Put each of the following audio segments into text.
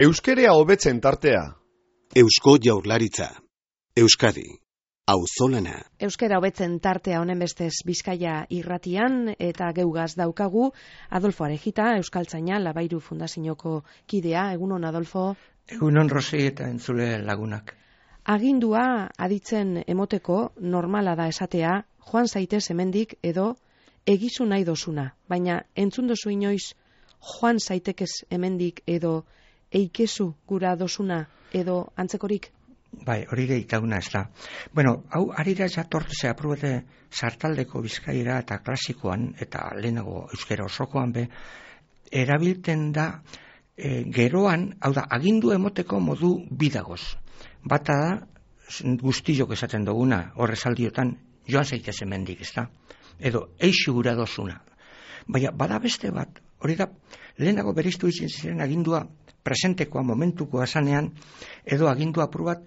Euskerea hobetzen tartea. Eusko Jaurlaritza. Euskadi. Auzolana. Euskera hobetzen tartea honen bestez Bizkaia irratian eta geugaz daukagu Adolfo Arejita, euskaltzaina Labairu Fundazioko kidea. Egunon, Adolfo. Egunon, Rosi, eta entzule lagunak. Agindua aditzen emoteko normala da esatea, joan zaitez hemendik edo egizu nahi dozuna, baina entzun dozu inoiz joan zaitekez hemendik edo eikezu gura dozuna edo antzekorik? Bai, hori deitaguna ez da. Bueno, hau arira jatortze aprobete sartaldeko Bizkaira eta klasikoan eta lehenago euskera osokoan be, erabilten da geroan, hau da, agindu emoteko modu bidagoz. Bata da, guztiok esaten duguna, horrezaldiotan, joan zaitez hemendik, ez da? Edo, eixu gura dozuna. Baina, bada beste bat, hori da, lehenago bereiztu izin ziren agindua presentekoa, momentukoa zanean, edo agindua apur bat,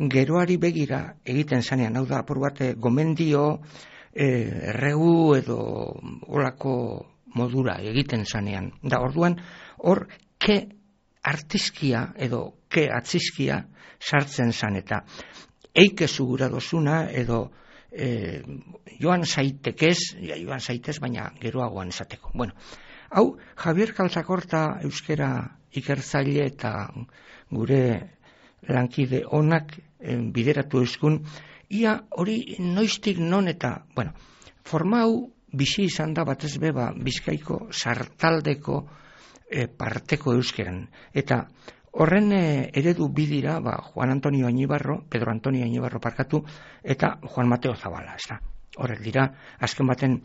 geroari begira egiten zanean, hau da, apur bat, gomendio, erregu edo olako modura egiten zanean. Da, orduan, hor, ke artizkia edo ke atzizkia sartzen zan, eta eikezu gura dozuna edo joan zaitekez, joan zaitez, baina geroagoan esateko. Bueno, hau, Javier Kaltzakorta euskera ikertzaile eta gure lankide onak bideratu euskun, ia hori noiztik non eta, bueno, forma hau bizi izan da batez beba Bizkaiko sartaldeko parteko euskeran. Eta horren eredu bidira, Juan Antonio Añibarro, Pedro Antonio Añibarro parkatu, eta Juan Mateo Zabala, ez da. Horrek dira, azken baten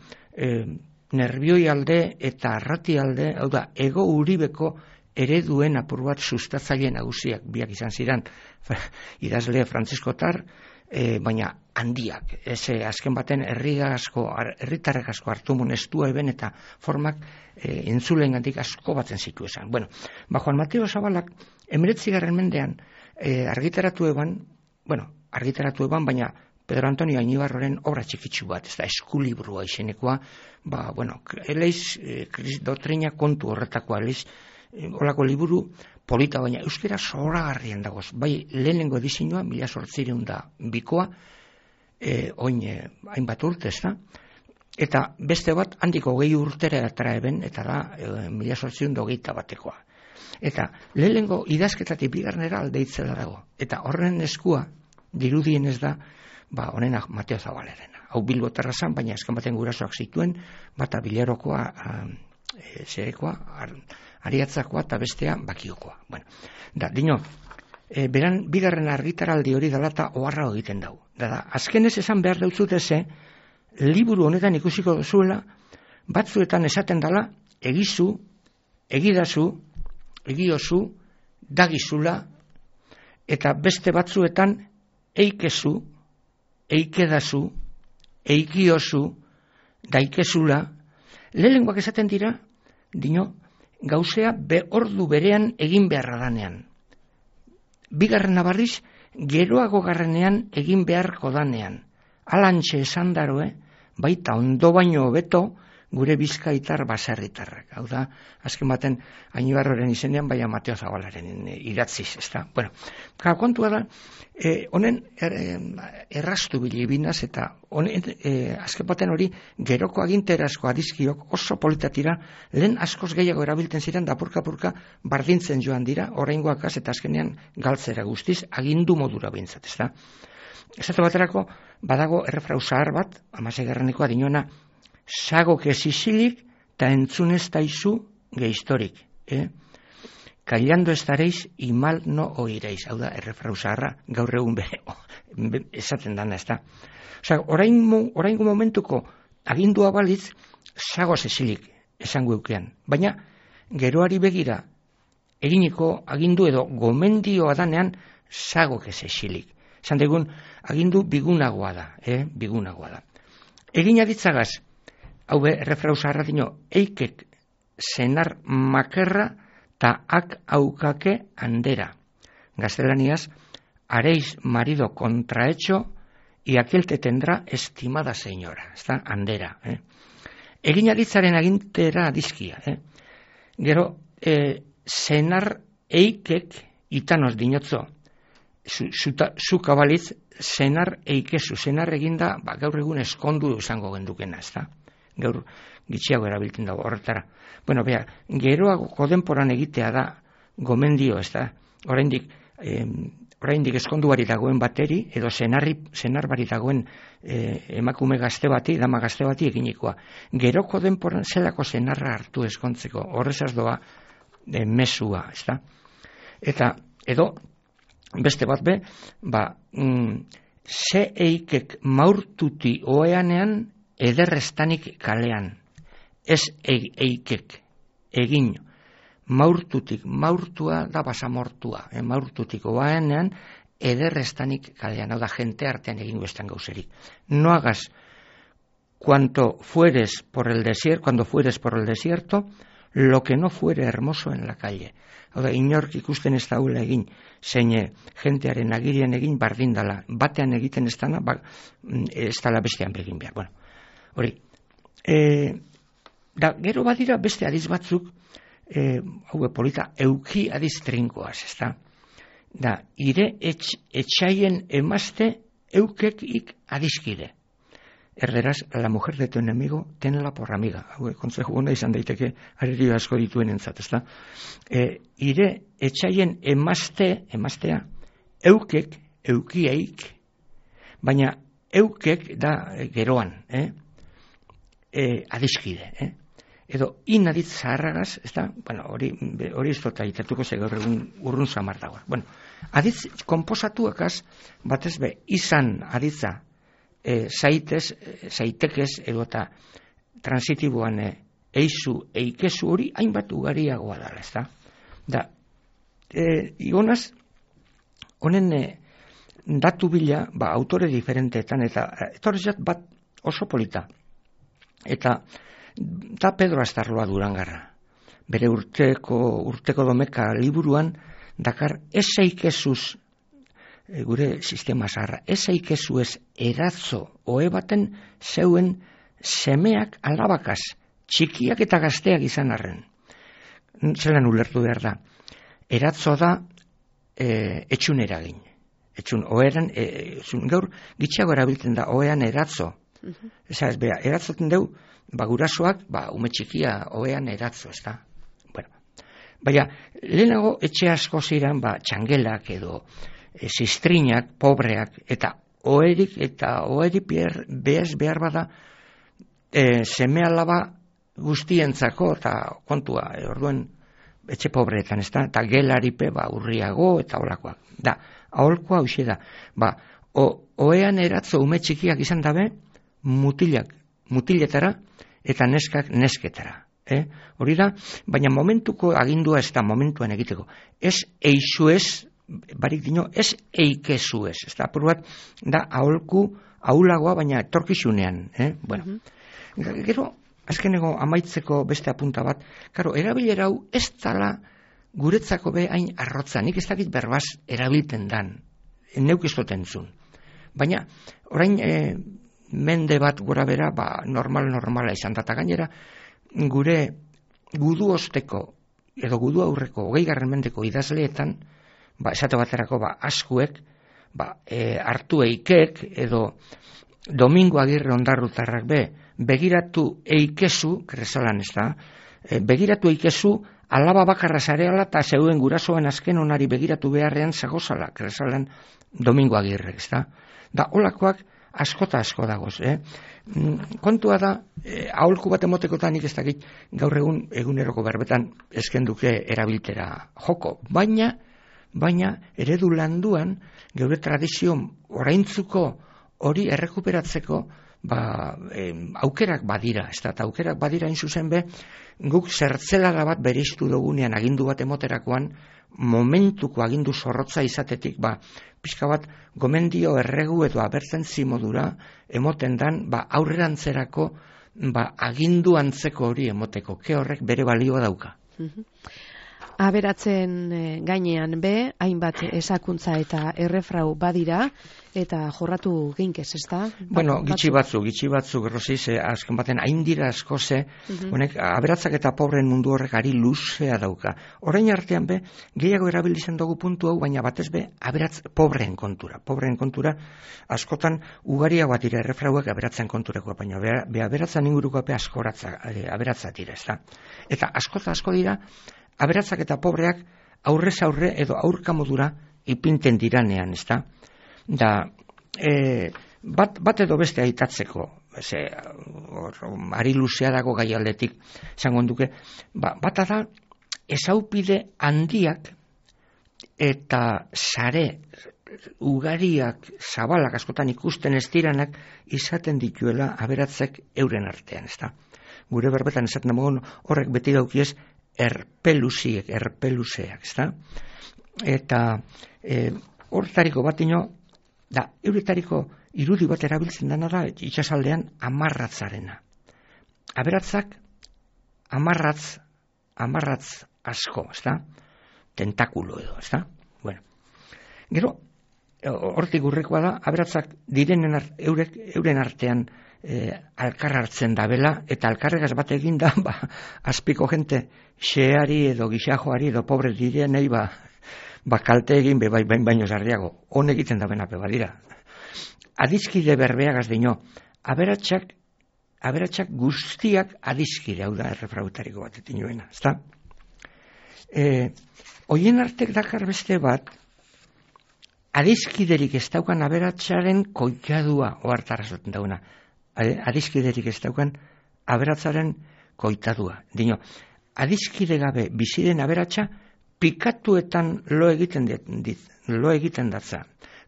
nerbioi alde eta arrati alde, hau da, ego uribeko ereduen apur bat sustatzaile nagusiak biak izan ziren, idazle frantziskotar, baina handiak. Azken baten herritarrek asko hartumun estua eben eta formak entzulengandik asko batzen zitu esan. Bueno, Juan Mateo Zabalak 19. mendean argitaratu eban, baina Pedro Antonio Añibarroren obra txikitsu bat, ez da, eskulibrua izenekoa, eleiz doktrina kontu horretakoa, eleiz olako liburu polita, baina euskera zoragarrien dagoz. Bai, lehenengo edizioa, 1802 oin hainbat urte, ez da? Eta beste bat, handiko 20 urtera atara eben, eta da 1821 Eta lehenengo idazketatik bigarnera aldeitzela dago. Eta horren eskua, dirudien ez da, honenak Mateo Zabalerena. Hau Bilbotarra zan, baina azken baten gurasoak zituen, bata Bilarokoa, zerekoa, Ariatzakoa eta bestea Bakiokoa. Bueno, da, beran bigarren argitaraldi hori dela eta oharra egiten dau. Da, azkenez esan behar dautzute ze, liburu honetan ikusiko duzuela, batzuetan esaten dela, egizu, egidazu, egiozu, dagizula, eta beste batzuetan, eikezu, eikedazu, eikiozu, daikezula, lehenengoak esaten dira, gauzea ordu berean egin beharra danean. Bigarrena barriz, geroago garrenean egin beharko danean. Alantxe esan daroe, baita ondo baino hobeto gure bizkaitar baserritarrak. Hau da, azken baten Añibarroren izenean, baina Mateo Zabalaren idatziz, ez da. Bueno, kontua da, honen erraztu bilibinaz, eta azken baten hori geroko aginterazko adizkiok oso politatira, lehen askoz gehiago erabiltzen ziren, da purka-purka bardintzen joan dira, oraingoakaz eta azkenean galtzera guztiz, agindu modura bintzat, ez da. Esate baterako, badago errefrau zahar bat, 16. dinoena, sagok ez isilik, eta entzunez taizu gehistorik. Kailando estareiz, imal no oireiz. Hau da, errefrau zaharra, gaur egun esaten dana, ez da. Osa, oraingo momentuko agindua balitz, sagoz esilik esango eukean. Baina, geroari begira, eginiko agindu edo gomendioa danean, sagok ez esilik. Esan degun, agindu bigunagoa da, bigunagoa da. Egin aditzagaz, hau errefrau zaharra dino, eikek senar makerra ta ak aukake handera. Gaztelaniaz, haréis marido contrahecho y aquel te tendrá estimada señora. Ez da, handera. Egin aditzaren agintera adizkia. Gero, senar eikek itanoz dinotzo, zu kabaliz, senar eikezu, senar eginda, gaur egun eskondu izango gendukena, ez da? Gaur gitxiago erabiltzen dago horretara. Bueno, bea, geroago denporan egitea da gomendio, ez da? Oraindik eskonduari dagoen bateri, edo senarbari dagoen emakume gazte bati, dama gazte bati eginikoa. Geroko denporan zelako senarra hartu eskontzeko, horrezaz doa mesua, ez da? Eta, edo, beste bat be, ze eikek maurtuti oeanean ederrestanik kalean. Ez eikek, egin, maurtutik, maurtua da basamortua, maurtutik oeanean ederrestanik kalean, hau da jente artean egin guestan gauzerik. No hagas cuando fueres por el desierto, lo que no fuere hermoso en la calle. Hau da, inork ikusten ez daula egin, zein jentearen agirian egin bardindala, batean egiten ez dana, ez dala bestean begin behar. Bueno, hori, da, gero badira beste adiz batzuk, hau polita, euki adiz trinkoaz, ez da? Da, ire etxaien emazte eukekik adizkide. Erderaz, la mujer de tu enemigo, tenela por amiga. Hau, kontzeju hona izan daiteke, arerio asko dituen entzat, ez da? Ire etxaien emaztea, eukek, eukiaik, baina eukek da geroan, adizkide, edo inaditz zaharragaz, ez da? Bueno, hori ez dut aitatuko ze gaur egun urrun samar dagoa. Bueno, aditz konposatuakaz, batez be, izan aditza, zaitekez edo eta transitiboan eikezu hori hainbat ugariagoa dala, ez da? Da, igonaz, honen datu bila, autore diferenteetan, eta etorrezat bat oso polita. Eta da Pedro Astarloa Durangarra. Bere urteko domeka liburuan, dakar ez eikezuz gure sistema zaharra, ez eikezu ez eratzo oe baten zeuen semeak alabakaz, txikiak eta gazteak izan arren. Zelan ulertu behar da. Eratzo da etxun eragin. Etxun, oeran, gaur gitxago erabiltzen da, oean eratzo. Ez bera, eratzoten deu, gurasoak, ume txikia oean eratzo, ez da. Bueno, baina, lehenago etxe asko ziren, txangelak edo zistrinak, pobreak, eta oerik behar bada seme alaba guztientzako, eta kontua, orduen etxe pobreetan, ez da, eta gelaripe urriago, eta olakoak. Da, aholkoa hauxe da, oean eratzo ume txikiak izan dabe, mutiletara, eta neskak nesketara. Hori da, baina momentuko agindua ez da momentuan egiteko. Ez eixu ez, barik dino, ez eikezu ez. Ez da, apur bat, da aholku, ahulagoa, baina etorkizunean. Bueno, gero, azkenego amaitzeko beste apunta bat, karo, erabilera hau ez dala guretzako be hain arrotza, nik ez dakit berbaz erabilten dan, neuk ez dotentzun. Baina, orain mende bat gora bera, normala izan da, eta gainera, gure gudu osteko, edo gudu aurreko, 20. mendeko idazleetan, esate baterako, askuek, hartu eikek, edo Domingo Agirre Ondarrutarrak be, begiratu eikezu, kresalan ez da, begiratu eikezu, alaba bakarra zareala eta zeuen gurasoen azken onari begiratu beharrean zagozala, kresalan Domingo Agirre, ez da. Da, holakoak askota asko dagoz, Kontua da, aholku bat emotekotan nik ez dakit gaur eguneroko berbetan eskenduke erabiltera joko, baina eredu landuan geure tradizio oraintzuko hori errekuperatzeko aukerak badira, ez da, eta aukerak badira zuzen be, guk zertzelara bat bereiztu dugunean agindu bat emoterakoan, momentuko agindu zorrotza izatetik, pixka bat gomendio erregu edo abertzentzi modura emoten dan, aurrerantzerako agindu antzeko hori emoteko, ke horrek bere balioa dauka. Aberatzen gainean be, hainbat esakuntza eta errefrau badira, eta jorratu geinkez, ez da? Bueno, gitxi batzuk, Rosiz, azken baten, hain dira asko ze, honek, aberatzak eta pobren mundu horrek ari luzea dauka. Orain artean be, gehiago erabiltzen dugu puntu hau, baina batez be, aberatz pobreen kontura. Pobreen kontura, askotan, ugariago bat dira errefrauak aberatzen kontureko, baina be aberatzen inguruko be aberatzat dira, ez da? Eta asko dira, aberatzak eta pobreak aurrez aurre edo aurka modura ipinten diranean, ez da? Da, bat edo beste aitatzeko, ari luzea dago gai aldetik, esango duke, bata da, ezaupide handiak eta sare ugariak, zabalak askotan ikusten ez diranak, izaten dituela aberatzek euren artean, ez da? Gure berbetan esaten dagoen horrek beti daukiez, erpeluseak, ez da? Eta horretariko bat ino, da, euretariko irudi bat erabiltzen dena da, itxasaldean amarratzarena. Aberatzak, amarratz asko, ez da? Tentakulo edo, ez da? Bueno, gero, hortik urrekoa da, aberatzak direnen euren artean alkar hartzen dabela, eta alkarregaz bat egin da, azpiko jente xeari edo gixajoari edo pobre direnei kalte egin baino zarriago. Hon egiten da benape badira. Adizkide berbeagaz dino, aberatsak guztiak adizkide, hau da errefrautariko bat etinoena, ezta? Hoien artek dakar beste bat, adizkiderik ez daukan aberatsaren koitadua, ohartarazoten dauna. Adizkiderik ez daukan aberatzaren koitadua. Dino, adizkide gabe biziren aberatsa pikatuetan lo egiten datza.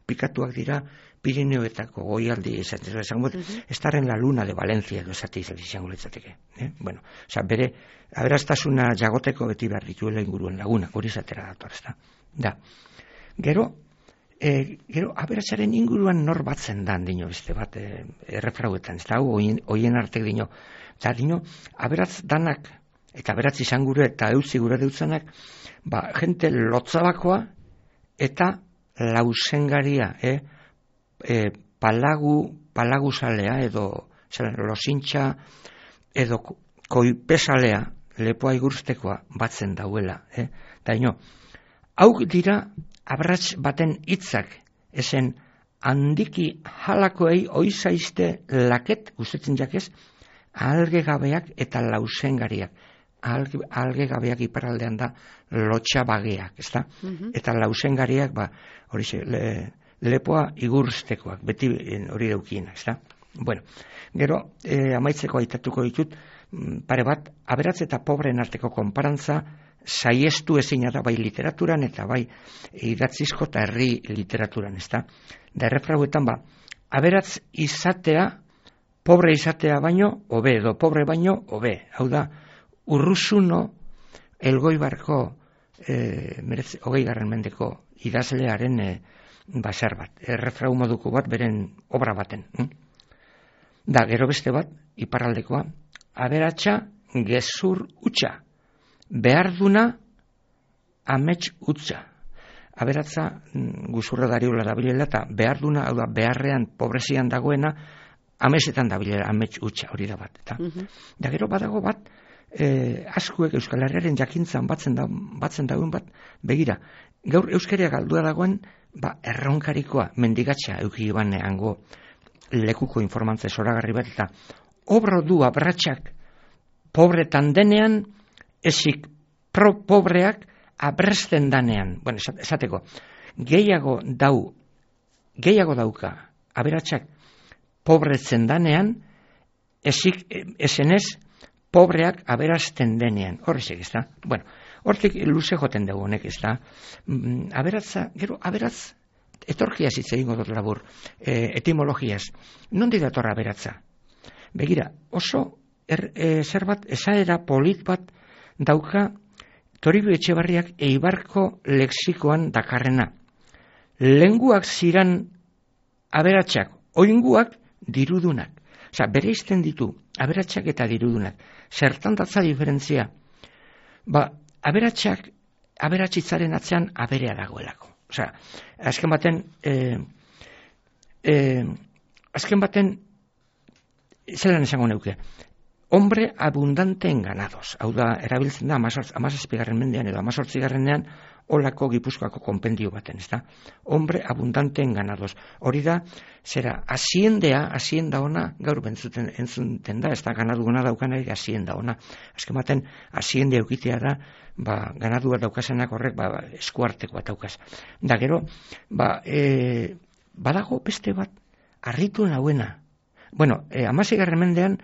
Pikatuak dira Pirineoetako goialdi esango estarren la luna de Valencia edo esate izango litzateke. Bueno, bere aberastasuna jagoteko beti behar dituela inguruen laguna, hori zatera dator, ez da. Da. Gero aberatsaren inguruan nor batzen dan dino beste bat errefrauetan, ez da, hoien artek dino. Eta dino, aberatz danak, eta aberatz izan gure eta eutzi gure deutzanak, jente lotzabakoa eta lausengaria, palaguzalea edo losintxa edo koipesalea lepoa igurstekoa batzen dauela. Da ino, hau dira aberats baten hitzak, esen handiki jalakoei oizaizte laket, gustetzen jakez, algegabeak eta lausengariak. Algegabeak iparaldean da lotxabageak, ez da? Eta lausengariak, horixe, lepoa igurstekoak, beti hori daukienak, ez da? Bueno, gero, amaitzeko aitatuko ditut, pare bat, aberatz eta pobreen arteko konparantza, saiestu ezina da bai literaturan eta bai idatzizko eta herri literaturan, ez da? Da errefrauetan aberatz izatea, pobre izatea baino, hobe, edo pobre baino, hobe. Hau da, Urruzuno Elgoibarko 20. Mendeko idazlearen basar bat, errefrau moduko bat beren obra baten. Da, gero beste bat, iparraldekoa, aberatsa gezur utxa, beharduna amets utza. Aberatza guzurra dariola dabilela eta beharduna, hau da, beharrean, pobrezian dagoena, amesetan dabilela, amets utza, hori da bat. Da gero badago bat, askuek Euskal Herriaren jakintzan batzen dagoen bat, begira, gaur euskara galdua dagoen, erronkarikoa, mendigatxa eukiban hango lekuko informantza zoragarri bat, eta obro du abratsak pobretan denean, ezik pobreak abresten danean. Bueno, esateko, gehiago dauka aberatsak pobretzen danean, ezik esenez pobreak aberasten denean. Horrezek, ez da? Bueno, hortik luze joten dugu honek, ez da? Aberatza, gero, aberatz, etorkiaz hitz egingo dut labur, etimologiaz. Nondi dator aberatza? Begira, oso zer bat, esaera polit bat dauka Toribio Etxebarriak Eibarko lexikoan dakarrena. Lenguak ziran aberatsak, oinguak dirudunak. Osa, bere izten ditu aberatsak eta dirudunak. Zertan datza diferentzia? Aberatsak aberatsitzaren atzean aberea dagoelako. Osea, azken baten, zelan esango neuke, hombre abundante en ganados. Hau da, erabiltzen da, 17. mendean edo 18. olako Gipuzkoako konpendio baten, ez da? Hombre abundante en ganados. Hori da, zera, hazienda ona, gaur entzuten da, ez da, ganadu ona daukanak, hazienda ona. Azken baten, hazienda eukitea da, ganadua daukasenak horrek, eskuarteko bat daukaz. Da, gero, badago beste bat, harritu nauena. Bueno, 16. mendean,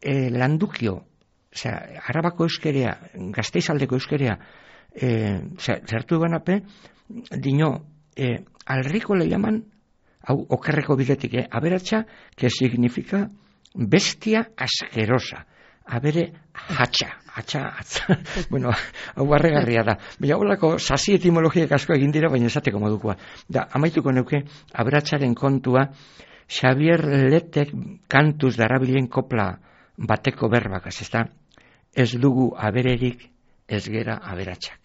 landukio, osea, Arabako euskerea, Gasteizaldeko euskerea, zertu eban ape, dino, alriko le llaman, hau, okerreko bidetik, aberatsa, que significa bestia asquerosa. Abere hatxa, bueno, hau barregarria da. Baina holako sasi etimologiak asko egin dira, baina esateko modukoa. Da, amaituko neuke, aberatsaren kontua, Xavier Letek kantuz darabilen kopla bateko berbakaz, ez da? Ez dugu abererik, ez gera aberatsak.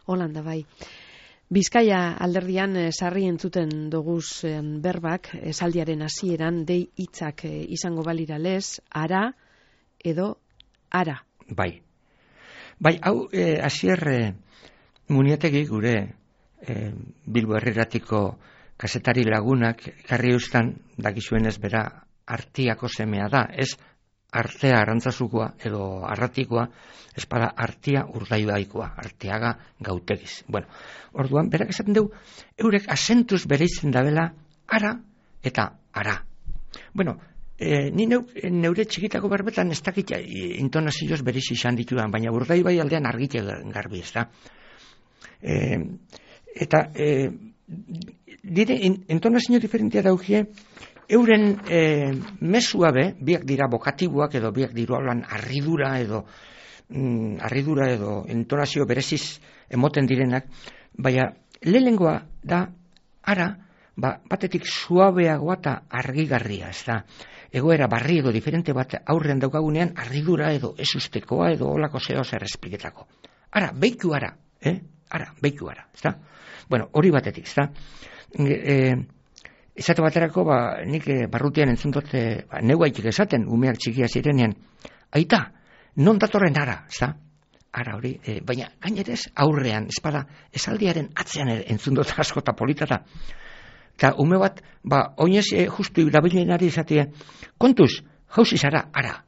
Holanda bai. Bizkaia alderdian sarri entzuten doguz berbak, esaldiaren hasieran dei hitzak izango balira lez, ara edo ara. Bai, hau Asier Muniategi gure Bilbo Herriratiko kazetari lagunak karri eustan, dakizuenez bera artiako semea da, ez artea arantzazukoa edo arratikoa, espada artia urdaibaikoa, arteaga gautegiz. Bueno, orduan, berak esaten dugu, eurek asentuz bereitzen dabela ara eta ara. Bueno, ni neure txikitako berbetan ez dakit intonazioz bereiz izan ditudan, baina urdaibai aldean argite garbi, ez da. Eta dire intonazio diferentia daukie, euren mesua be, biak dira bokatiboak edo biak dirualan arridura edo intonazio bereziz emoten direnak, baina lehengoa da ara, batetik suabeagoa eta argigarria, ez da. Egoera barri edo diferente bat aurrean daukagunean arridura edo ezustekoa edo olako zeo zer espliketako. Ara, beiku ara, ez da. Bueno, hori batetik, ez da. Esate baterako, nik barrutian entzuntot, neuaitik esaten, umeak txikia zirenean, aita, non datorren ara, ez da? Ara hori, baina gainerez aurrean, espada, esaldiaren atzean entzundot asko eta politata. Eta ume bat, oinez justu irabilenari esatea, kontuz, jauzi zara, ara.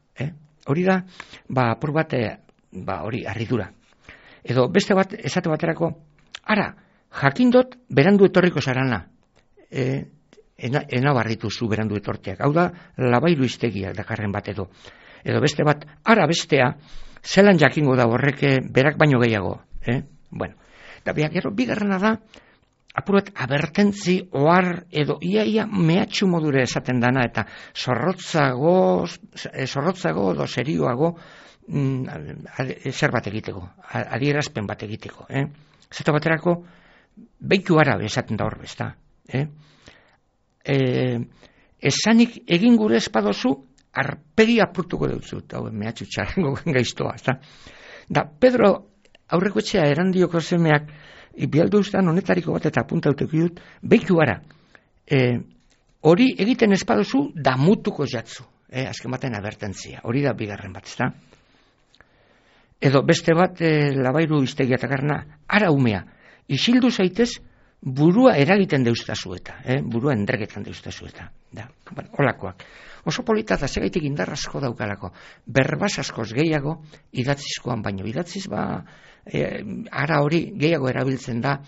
Hori da, apur bat, hori, arridura. Edo beste bat, esate baterako, ara, jakindot, berandu etorriko zarana. Ena barritu zu berandu etorteak. Hau da, labairu iztegiak dakarren bat edo. Edo beste bat, ara bestea, zelan jakingo da horrek berak baino gehiago. Bueno, eta gero, bigarrena da, apurat abertentzi, ohar edo iaia mehatxu modure esaten dana, eta zorrotzago edo serioago zer bat egiteko, adierazpen bat egiteko. Zeta baterako, beitu ara esaten da hor bezta. Esanik egin gure espadozu, arpegi apurtuko deutzut, hau mehatxu txarango gaiztoa. Da, Pedro aurreko etxea erandioko semeak, bialdu ustan honetariko bat eta apuntautek dut, beitu ara, hori egiten espadozu damutuko jatzu, azken baten abertentzia, hori da bigarren bat, ezta? Edo beste bat, labairu iztegia takarna, ara umea, isildu zaitez, burua eragiten deuztazu eta, burua endregetan deuztazu eta, holakoak. Oso polita da segaitik indar asko daukalako, berbaz askoz gehiago idatzizkoan, baino idatziz ara hori gehiago erabiltzen da,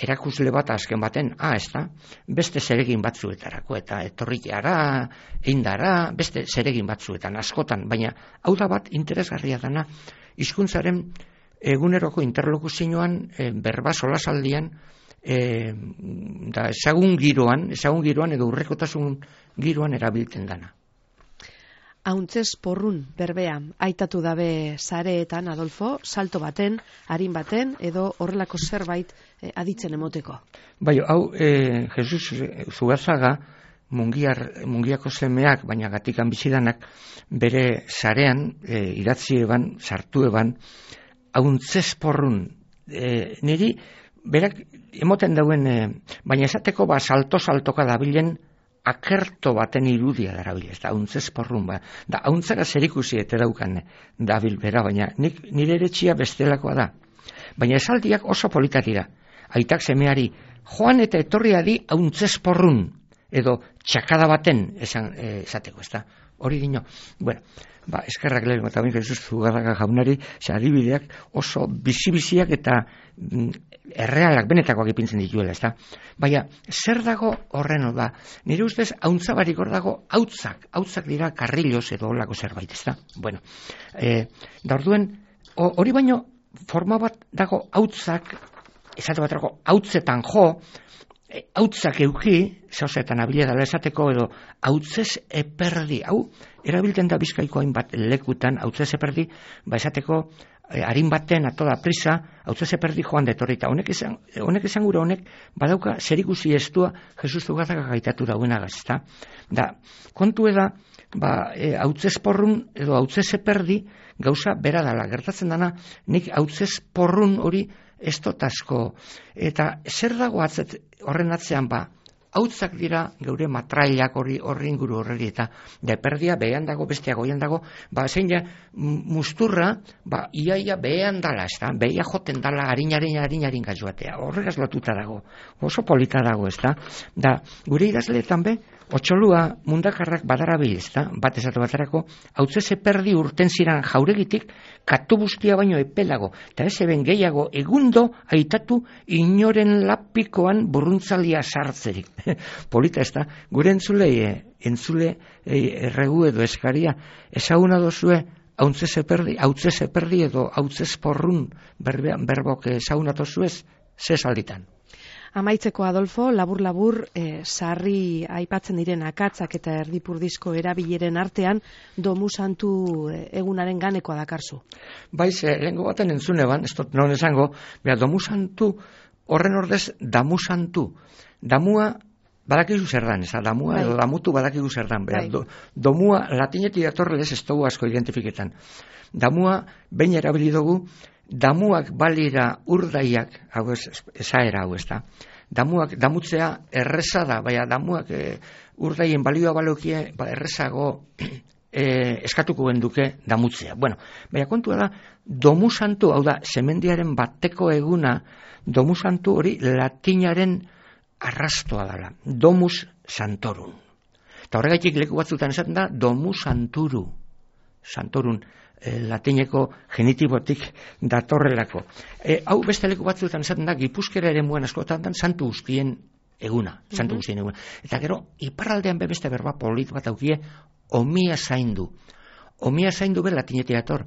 erakusle bat azken baten, ez da, beste zeregin batzuetarako, eta etorrik ara, eindara, beste zeregin batzuetan, askotan, baina hau da bat interesgarria dana, hizkuntzaren eguneroko interlokuzioan, berba solasaldian, ezagun giroan edo urrekotasun giroan erabiltzen dana. Hauntzez porrun berbea, aitatu dabe sareetan, Adolfo, salto baten, harin baten, edo horrelako zerbait aditzen emoteko. Bai, hau, Jesus Zugazaga, mungiako semeak, baina gatikan bizidanak, bere sarean, idatzi eban, sartu eban, hauntzezporrun, niri, berak, emoten dauen, baina esateko salto-saltoka dabilen akerto baten irudia darabil, ez da, hauntzezporrun, da, hauntzara zerikusi eta daukan dabil bera, baina nire eretxia bestelakoa da. Baina esaldiak oso politatira. Aitak semeari, joan eta etorria di hauntzezporrun, edo txakada baten esateko, ez da. Hori dino, bueno, eskerrak lehen, eta bain Jesus Zugarraga jaunari, adibideak oso bizi-biziak eta errealak benetakoak ipintzen dituela, ez da. Baina, zer dago horren da? Nire ustez, hauntzabarik hor dago hautzak dira karriloz edo olako zerbait, ez da. Bueno, da orduen, hori baino, forma bat dago hautzak, esate bat dago, hautzetan jo, hautzak euki, zauzetan abile dala esateko edo hautzez eperdi, hau, erabilten da Bizkaiko hainbat lekutan, hautzez eperdi, esateko harin baten atoda prisa, hautzez eperdi joan detorrita. Honek esan gure honek, badauka zerikusi estua Jesus Zugarraga gaitatu dauena gazta. Da, kontu eda, hautzez porrun edo hautzez eperdi gauza bera dala. Gertatzen dana, nik hautzez porrun hori ez dut asko. Eta zer dago horren atzean hautzak dira geure matrailak horri inguru horreri eta deperdia behean dago, bestia goian dago, zein ja musturra, iaia behean dala, ez da, behia joten dala harin gazoatea, horregaz lotuta dago, oso polita dago, ez da, da, gure idazleetan otxolua mundakarrak badarabil, ez da, bat esatu baterako, hautzez eperdi urten ziran jauregitik, katu bustia baino epelago, eta ez eben gehiago egundo aitatu inoren lapikoan burruntzalia sartzerik. Polita ez da, gure entzule erregu edo eskaria, ezaguna dozue hautzez eperdi edo hautzez porrun berbok ezaguna dozuez, ze salditan. Amaitzeko, Adolfo, labur-labur, sarri aipatzen diren akatzak eta erdipurdizko erabileren artean, Domu Santu egunaren ganekoa dakarzu. Baiz, lehenko baten entzune ban, ez dut non esango, Domu Santu, horren ordez, Damu Santu. Damua badakizu zer dan, ez da, damua edo damutu badakizu zer dan. Domua latinetik datorrelez ez dugu asko identifiketan. Damua, behin erabili dugu, damuak balira urdaiak, hau esaera hau ez da, damutzea erreza da, baina damuak urdaien balioa balokie, errezago eskatuko genduke damutzea. Bueno, baina kontua da, Domu Santu, hau da, semendiaren bateko eguna, Domu Santu hori latinaren arrastoa dela, Domus Santorum. Eta horregaitik leku batzutan esaten da, Domu Santorun, latineko genitibotik datorrelako. Hau beste leku batzuetan esaten da, Gipuzkera ere muen askotan da, santu guztien eguna. Eta gero, iparraldean beste berba polit bat aukie, omia zaindu. Omia zaindu be latinetik dator,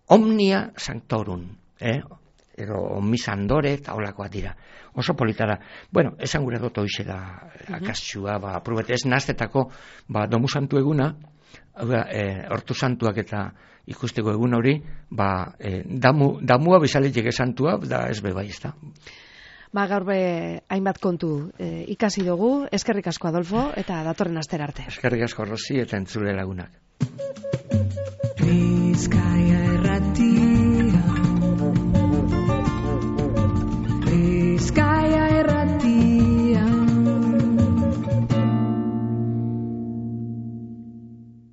omnia sanctorum. Edo omisandore eta olakoak dira. Oso polita da. Bueno, esan gure dut hoize da akastxua, aprobete ez naztetako Domu Santu eguna, hortu santuak eta ikusteko egun hori, damua bizaletik santua, da ez bai ez da. Gaur hainbat kontu ikasi dugu, eskerrik asko Adolfo, eta datorren astera arte. Eskerrik asko Rosi eta entzule lagunak. Bizkaia